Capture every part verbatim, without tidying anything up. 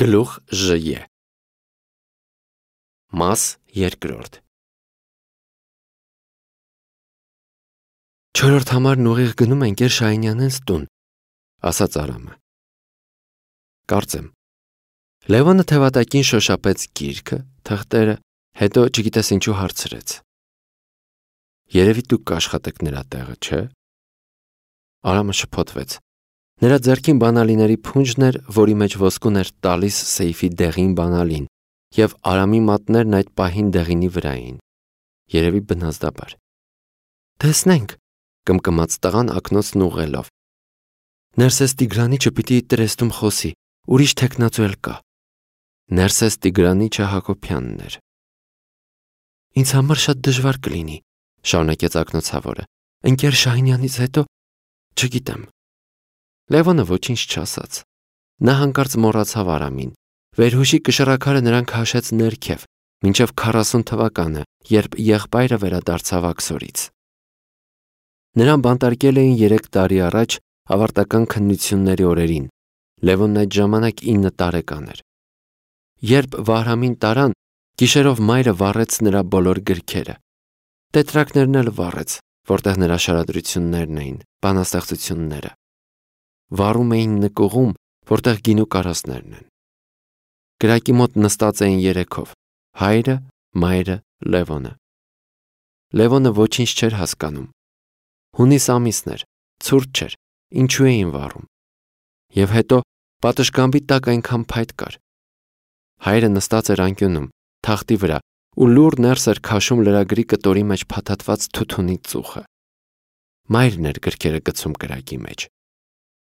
Գլուխ Ժ. Մաս երկրորդ Չորրորդ համարն ուղիղ գնում ենք Եր Շահինյանենց տուն, ասաց Արամը։ Կարծեմ։ Լևոնը թևատակին շոշափեց գիրքը, թղթերը, հետո չգիտես ինչու հարցրեց. Երևի դուք կաշխատեք նրա տեղը, չէ՞։ Արամը շփոթվեց։ Նրա ձեռքին բանալիների փունջն էր, որի մեջ ոսկուն էր տալիս սեյֆի դեղին բանալին, և Արամի մատներն այդ պահին դեղինի վրա էին։ Երևի բնազդաբար։ Տեսնենք, կմկմաց տղան ակնոցն ուղղելով։ Ներսես Տիգրանիչը պիտի տրեստում խոսի, ուրիշ թեկնածու էլ կա։ Ներսես Տիգրանիչը Հակոբյանն էր։ Ինձ համար շատ դժվար կլինի, շարունակեց ակնոցավորը։ Ընկեր Շահինյանից հետո, չգիտեմ։ Լևոնը ոչինչ չասաց։ Նա հանկարծ մոռացավ Արամին։ Վերհուշի կշռաքարը նրան քաշեց ներքև, մինչև քառասուն թվականը, երբ եղբայրը վերադարձավ Աքսորից։ Նրան բանտարկել էին երեք տարի առաջ ավարտական քննությունների օրերին։ Լևոնն այդ ժամանակ ինը տարեկան էր։ Երբ Վահրամին տարան, գիշերով մայրը վառեց նրա բոլոր գրքերը։ Տետրակներն էլ վառեց, որտեղ նրա շարադրություններն էին, բանաստեղծությունները։ Վառում էին նկուղում, որտեղ գինու կարասներն են։ Կրակի մոտ նստած էին երեքով՝ հայրը, մայրը, Լևոնը։ Լևոնը ոչինչ չէր հասկանում։ Հունիս ամիսն էր, ցուրտ չէր, ինչու էին վառում։ Եվ հետո պատշգամբի տակ այնքան փայտ կար։ Հայրը նստած էր անկյունում, թախտի վրա, ու լուռ ներս էր քաշում լրագրի կտորի մեջ փաթաթված թութունի ծուխը։ Մայրն էր գրքերը գցում կրակի մեջ։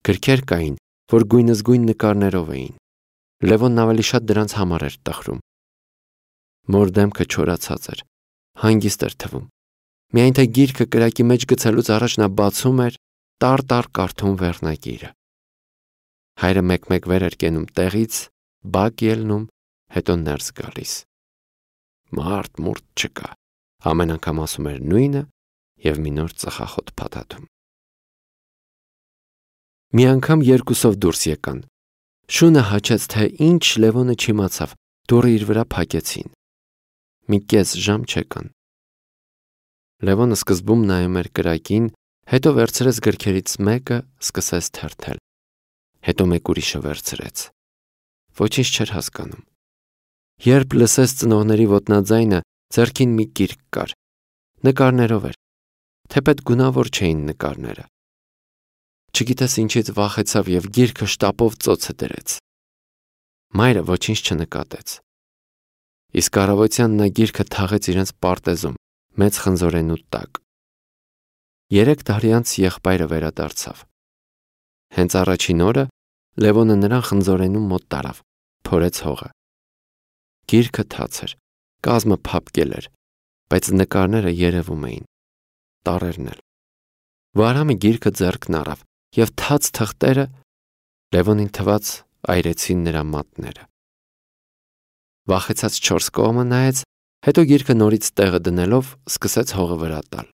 Գրքեր կային, որ գույնզգույն նկարներով էին։ Լևոնն ավելի շատ դրանց համար էր տխրում։ Մոր դեմքը չորացած էր, հանգիստ էր թվում։ Միայն թե գիրքը կրակի մեջ գցելուց առաջ նա բացում էր, տար-տար կարդում վերնագիրը։ Հայրը մեկ-մեկ վեր էր կենում տեղից, բակ ելնում, հետո ներս գալիս։ Մարդ մուրդ չկա, ամեն անգամ ասում էր նույնը և մի նոր ծխախոտ փաթաթում։ Մի անգամ երկուսով դուրս եկան։ Շունը հաչեց, թե ինչ Լևոնը չիմացավ, դուռը իր վրա փակեցին։ Մի կես ժամ չեկան։ Լևոնը սկզբում նայում էր կրակին, հետո վերցրեց գրքերից մեկը, սկսեց թերթել։ Հետո մեկ ուրիշը վերցրեց։ Ոչինչ չէր հասկանում։ Երբ լսեց ծնողների ոտնաձայնը, ձեռքին մի գիրք կար։ Նկարներով էր, թեպետ գունավոր չէին նկարները։ Չգիտես ինչից վախեցավ և գիրքը շտապով ծոցը դրեց։ Մայրը ոչինչ չնկատեց։ Իսկ առավոտյան նա գիրքը թաղեց իրենց պարտեզում, մեծ խնձորենու տակ։ Երեք տարի անց եղբայրը վերադարձավ։ Հենց առաջին օրը Լևոնը նրան խնձորենում մոտ տարավ, փորեց հողը։ Գիրքը թաց էր, կազմը փափկել էր, բայց նկարները երևում էին, տառերն էլ։ Վահրամը գիրքը ձեռքն առավ, և թաց թղթերը Լևոնին թվաց այրեցին նրա մատները։ Վախեցած չորս կողմը նայեց, հետո գիրքը նորից տեղը դնելով սկսեց հողը վրա տալ։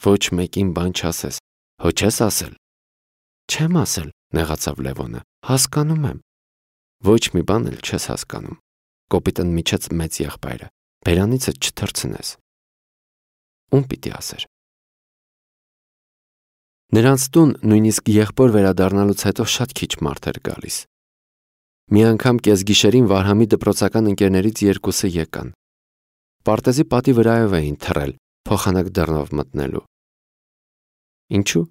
Ոչ մեկին բան չասես, հո չես ասել։ Չեմ ասել, նեղացավ Լևոնը, հասկանում եմ։ Ոչ մի բան էլ չես հասկանում, կոպիտ ընդմիջեց մեծ եղբայրը, բերանիցդ չթռցնես։ Ում պիտի ասեր։ Նրանց տուն նույնիսկ եղբոր վերադառնալուց հետո շատ քիչ մարդ էր գալիս։ Մի անգամ կեսգիշերին Վահրամի դպրոցական ընկերներից երկուսը եկան։ Պարտեզի պատի վրայով էին թռել, փոխանակ դռնով մտնելու։ Ինչու՞,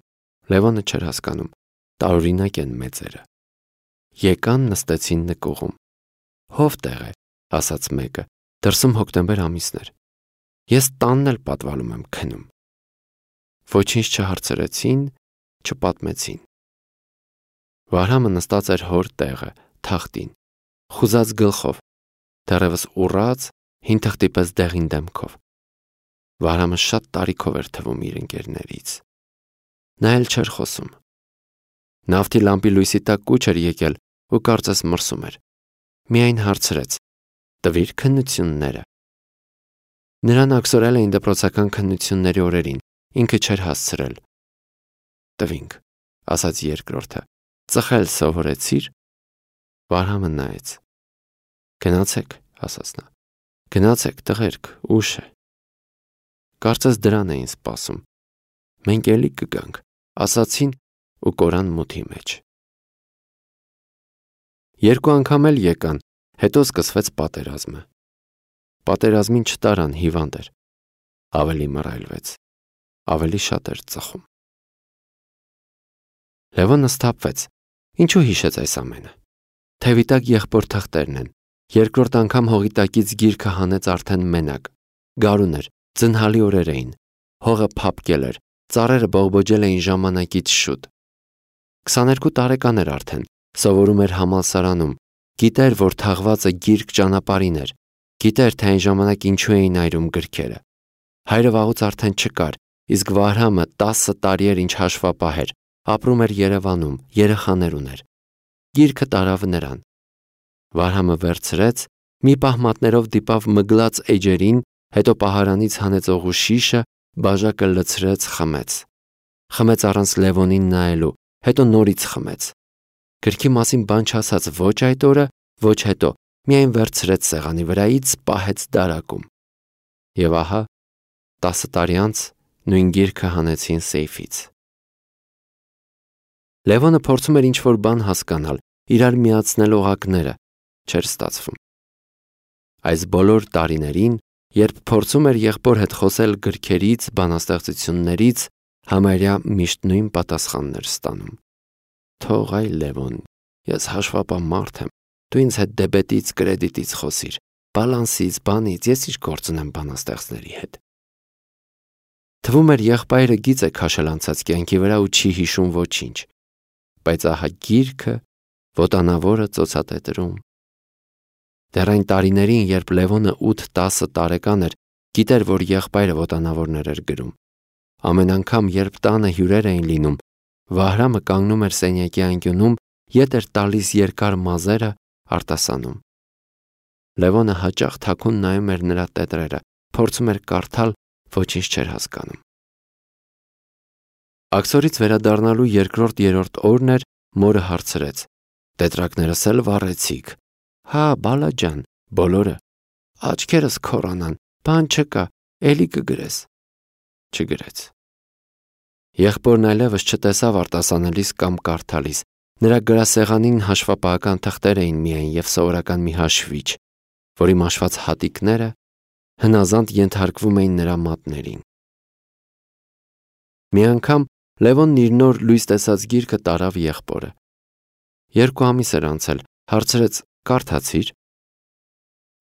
Լևոնը չէր հասկանում, տարօրինակ են մեծերը։ Եկան, նստեցին նկուղում։ Հով տեղ է, ասաց մեկը, դրսում հոկտեմբեր ամիսն էր։ Ես տանն էլ պատվալում եմ քնում։ Ոչինչ չհարցրեցին, չպատմեցին։ Վահրամը նստած էր հոր տեղը, թախտին, խուզած գլխով, դեռևս ուռած, հին թղթի պես դեղին դեմքով։ Վահրամը շատ տարիքով էր թվում իր ընկերներից։ Նա էլ չէր խոսում։ Նավթի լամպի լույսի տակ կուչ էր եկել ու կարծես մրսում էր։ Միայն հարցրեց. տվիր քննությունները։ Նրան աքսորել էին դպրոցական քննությունների օրերին, ինքը չէր հասցրել։ Տվինք, ասաց երկրորդը, ծխել սովորեցիր։ Վարհամը նայեց։ Գնացեք, ասաց նա։ Գնացեք, տղերք, ուշ է։ Կարծես դրան էին սպասում։ Մենք էլի կգանք, ասացին ու կորան մութի մեջ։ Երկու անգամ էլ եկան, հետո սկսվեց պատերազմը։ Պատերազմին չտարան, հիվանդ էր։ Ավելի մռայլվեց, ավելի շատ էր ծխում։ Լևոնը սթափվեց։ Ինչու հիշեց այս ամենը։ Թևի տակ եղբոր թղթերն են։ Երկրորդ անգամ հողի տակից գիրքը հանեց արդեն մենակ։ Գարուն էր, ձնհալի օրեր էին։ Հողը փափկել էր, ծառերը բողբոջել էին ժամանակից շուտ։ քսաներկու տարեկան էր արդեն, սովորում էր համալսարանում, գիտեր, որ թաղվածը գիրք ճանապարհին էր, գիտեր, թե այն ժամանակ ինչու էին այրում գրքերը։ Հայրը վաղուց արդեն չկար, իսկ Վարհամը տասը տարի էր ինչ հաշվապահ էր, ապրում էր Երևանում, երեխաներ ուներ։ Գիրքը տարավ նրան։ Վարհամը վերցրեց, մի պահ մատներով դիպավ մգլած էջերին, հետո պահարանից հանեց օղու շիշը, բաժակը լցրեց, խմեց։ Խմեց առանց Լևոնին նայելու, հետո նորից խմեց։ Գրքի մասին բան չասաց ոչ այդ օրը, ոչ հետո, միայն վերցրեց սեղանի վրայից, պահեց դարակում։ Եվ ահա, տասը տարի անց նույն գիրքը հանեցին սեյֆից։ Լևոնը փորձում էր ինչ-որ բան հասկանալ, իրար միացնել օղակները, չէր ստացվում։ Այս բոլոր տարիներին, երբ փորձում էր եղբոր հետ խոսել գրքերից, բանաստեղծություններից, համարյա միշտ նույն պատասխանն էր ստանում։ Թող այ Լևոն, ես հաշվապահ մարդ եմ, դու ինձ հետ դեբետից, կրեդիտից խոսիր, բալանսից, բանից, ես ինչ գործ ունեմ բանաստեղծների հետ։ Թվում էր եղբայրը գիծ է քաշել անցած կյանքի վրա ու չի հիշում ոչինչ, բայց ահա գիրքը, ոտանավորը ծոցատետրում։ Դեռ այն տարիներին, երբ Լևոնը ութ-տասը տարեկան էր, գիտեր, որ եղբայրը ոտանավորներ էր գրում։ Ամեն անգամ, երբ տանը հյուրեր էին լինում, Վահրամը կանգնում էր սենյակի անկյունում, ետ էր տալիս երկար մազերը, արտասանում։ Լևոնը հաճախ թաքուն նայում էր նրա տետրերը, փորձում էր կարդալ, ոչինչ չէր հասկանում։ Աքսորից վերադառնալու երկրորդ-երրորդ օրն էր, մորը հարցրեց. Տետրակներս էլ վառեցիք։ Հա, բալա ջան, բոլորը։ Աչքերս քորանան, բան չկա, էլի կգրես։ Չգրեց։ Եղբորն այլևս չտեսավ արտասանելիս կամ կարդալիս։ Նրա գրասեղանին հաշվապահական թղթեր էին միայն և սովորական մի հաշվիչ, որի մաշված հատիկները հնազանդ ենթարկվում էին նրա մատներին։ Մի անգամ Լևոնն իր նոր լույս տեսած գիրքը տարավ եղբորը։ Երկու ամիս էր անցել, հարցրեց. Կարդացիր։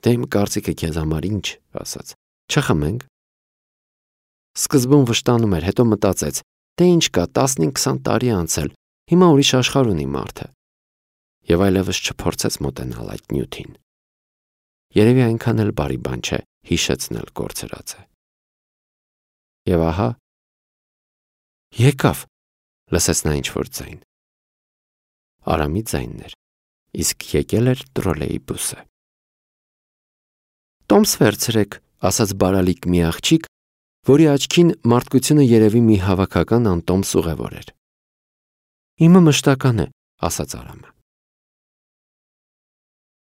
Դե իմ կարծիքը քեզ համար ինչ, ասաց։ Չխմենք։ Սկզբում վշտանում էր, հետո մտածեց. Դե ինչ կա, տասնհինգ-քսան տարի անցել, հիմա ուրիշ աշխարհ ունի մարդը։ Եվ այլևս չփորձեց մոտենալ այդ նյութին։ Երևի այնքան էլ բարի բան չէ հիշեցնել կորցրածը։ Եվ ահա եկավ, լսեց նա ինչ-որ ձայն։ Արամի ձայնն էր, իսկ եկել էր տրոլեյբուսը։ Տոմս վերցրեք, ասաց բարալիկ մի աղջիկ, որի աչքին մարդկությունը երևի մի հավաքական անտոմս ուղևոր էր։ Իմը մշտական է, ասաց Արամը։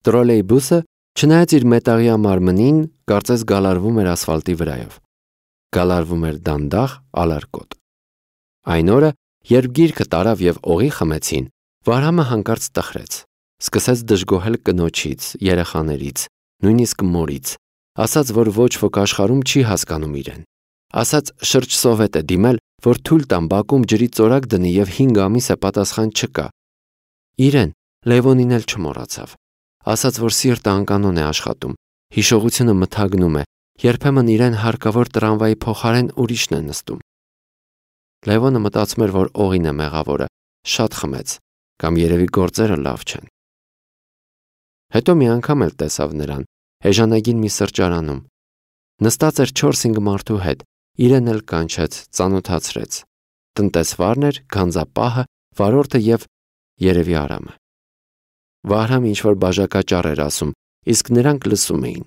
Տրոլեյբուսը, չնայած իր մետաղյա մարմնին, կարծես գալարվում էր ասֆալտի վրայով։ Գալարվում էր դանդաղ, ալարկոտ։ Այն օրը, երբ գիրքը տարավ և օղի խմեցին, Վարհամը հանկարծ տխրեց, սկսեց դժգոհել կնոջից, երեխաներից, նույնիսկ մորից, ասաց, որ ոչ ոք աշխարհում չի հասկանում իրեն, ասաց շրջսովետ է դիմել, որ թույլ տան բակում ջրի ծորակ դնի և հինգ ամիս է պատասխան չկա։ Իրեն, Լևոնին էլ չմոռացավ, ասաց, որ սիրտը անկանոն է աշխատում, հիշողությունը մթագնում է, երբեմն իրեն հարկավոր տրամվայի փոխարեն ուրիշն է նստում։ Լևոնը մտածում էր, որ օղին է մեղավորը, շատ խմեց, կամ երևի գործերը լավ չեն։ Հետո մի անգամ էլ տեսավ նրան, էժանագին մի սրճարանում։ Նստած էր չորս-հինգ մարդու հետ, իրեն էլ կանչեց, ծանոթացրեց։ Տնտեսվարն էր, գանձապահը, վարորդը և երևի Արամը։ Վահրամը ինչ-որ բաժակաճառ էր ասում, իսկ նրանք լսում էին։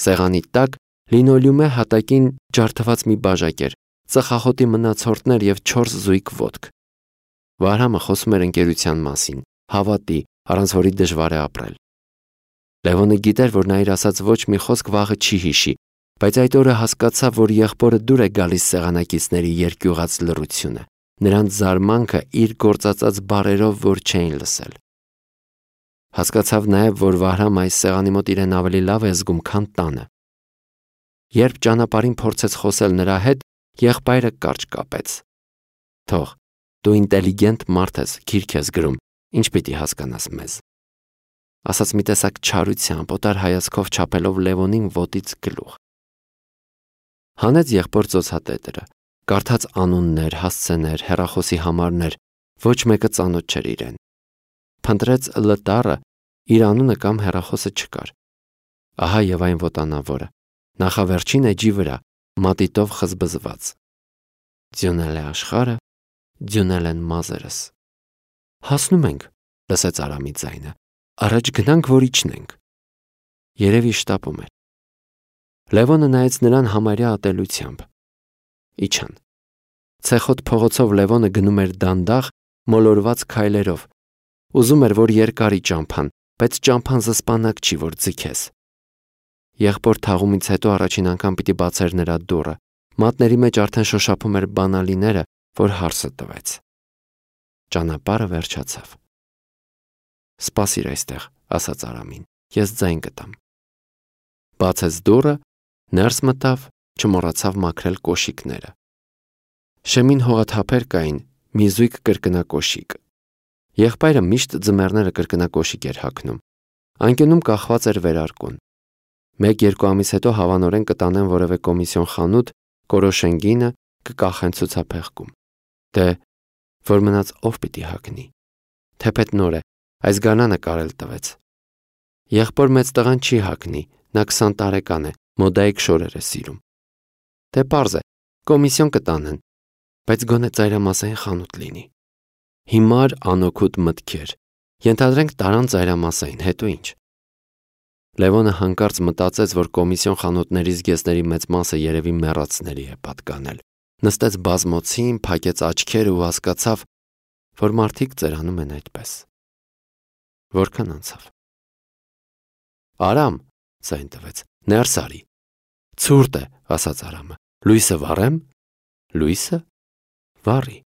Սեղանի տակ լինոլեումի հատակին ջարդված մի բաժակ էր, ծխախոտի մնացորդներ և չորս զույգ ոտք։ Վահրամը խոսում էր ընկերության մասին, հավատի, առանց որի դժվար է ապրել։ Լևոնը գիտեր, որ նա իր ասած ոչ մի խոսք վաղը չի հիշի, բայց այդ օրը հասկացավ, որ եղբորը դուր է գալիս սեղանակիցների երկյուղած լռությունը, նրանց զարմանքը իր գործածած բառերով, որ չէին լսել։ Հասկացավ նաև, որ Վահրամ այս սեղանի մոտ իրեն ավելի լավ է զգում, քան տանը։ Երբ ճանապարհին փորձեց խոսել նրա հետ, եղբայրը կարճ կապեց. «Թող, դու ինտելիգենտ մարդ ես, գիրք ես գրում, ինչ պիտի հասկանաս մեզ»։ Ասաց մի տեսակ չարությամբ, օտար հայացքով չափելով Լևոնին ոտից գլուխ։ Հանեց եղբոր ծոցատետրը, կարդաց անուններ, հասցեներ, հեռախոսի համարներ, ոչ մեկը ծանոթ չէր իրեն։ Փնտրեց Լ տառը, իր անունը կամ հեռախոսը չկար։ Ահա եւ այն ոտանավորը, նախավերջին էջի վրա, մատիտով խզբզված։ Ձյունել է աշխարհը, ձյունել են մազերս։ Հասնում ենք, լսեց Արամի ձայնը, առաջ գնանք, որ իջնենք։ Երևի շտապում էր։ Լևոնը նայեց նրան համարյա ատելությամբ։ Իջան։ Ցեխոտ փողոցով Լևոնը գնում էր դանդաղ, մոլորված քայլերով։ Ուզում էր, որ երկարի ճամփան, բայց ճամփան զսպանակ չի, որ ձգես։ Եղբոր թաղումից հետո առաջին անգամ պիտի բացեր նրա դուռը, մատների մեջ արդեն շոշափում էր բանալիները, որ հարսը տվեց։ Ճանապարհը վերջացավ։ Սպասիր այստեղ, ասաց Արամին, ես ձայն կտամ։ Բացեց դուռը, ներս մտավ, չմոռացավ մաքրել կոշիկները։ Շեմին հողաթափեր կային, մի զույգ կրկնակոշիկ։ Եղբայրը միշտ ձմեռները կրկնակոշիկ էր հագնում։ Անկյունում կախված էր վերարկուն։ Մեկ-երկու ամիս հետո հավանորեն կտանեն որևէ կոմիսիոն խանութ, կորոշեն գինը, կկախեն ցուցափեղկում։ Դե, որ մնաց ով պիտի հագնի։ Թեպետ նոր է, այս գանանը կարել տվեց։ Եղբոր մեծ տղան չի հագնի, նա քսան տարեկան է, մոդայիկ շորեր է սիրում։ Դե պարզ է, կոմիսիոն կտանեն, բայց գոնե ծայրամասային խանութ լինի։ Հիմար անօգուտ մտքեր։ Ենթադրենք տարան ծայրամասային, հետո ինչ։ Լևոնը հանկարծ մտածեց, որ կոմիսիոն խանութների զգեստների մեծ մասը երևի մեռածների է պատկանել։ Նստեց բազմոցին, փակեց աչքերը ու հասկացավ, որ մարդիկ ծերանում են այդպես։ Որքան անցավ։ Արամ, ձայն տվեց, ներս արի։ Ցուրտ է, ասաց Արամը։ Լույսը վառեմ։ Լույսը վառի։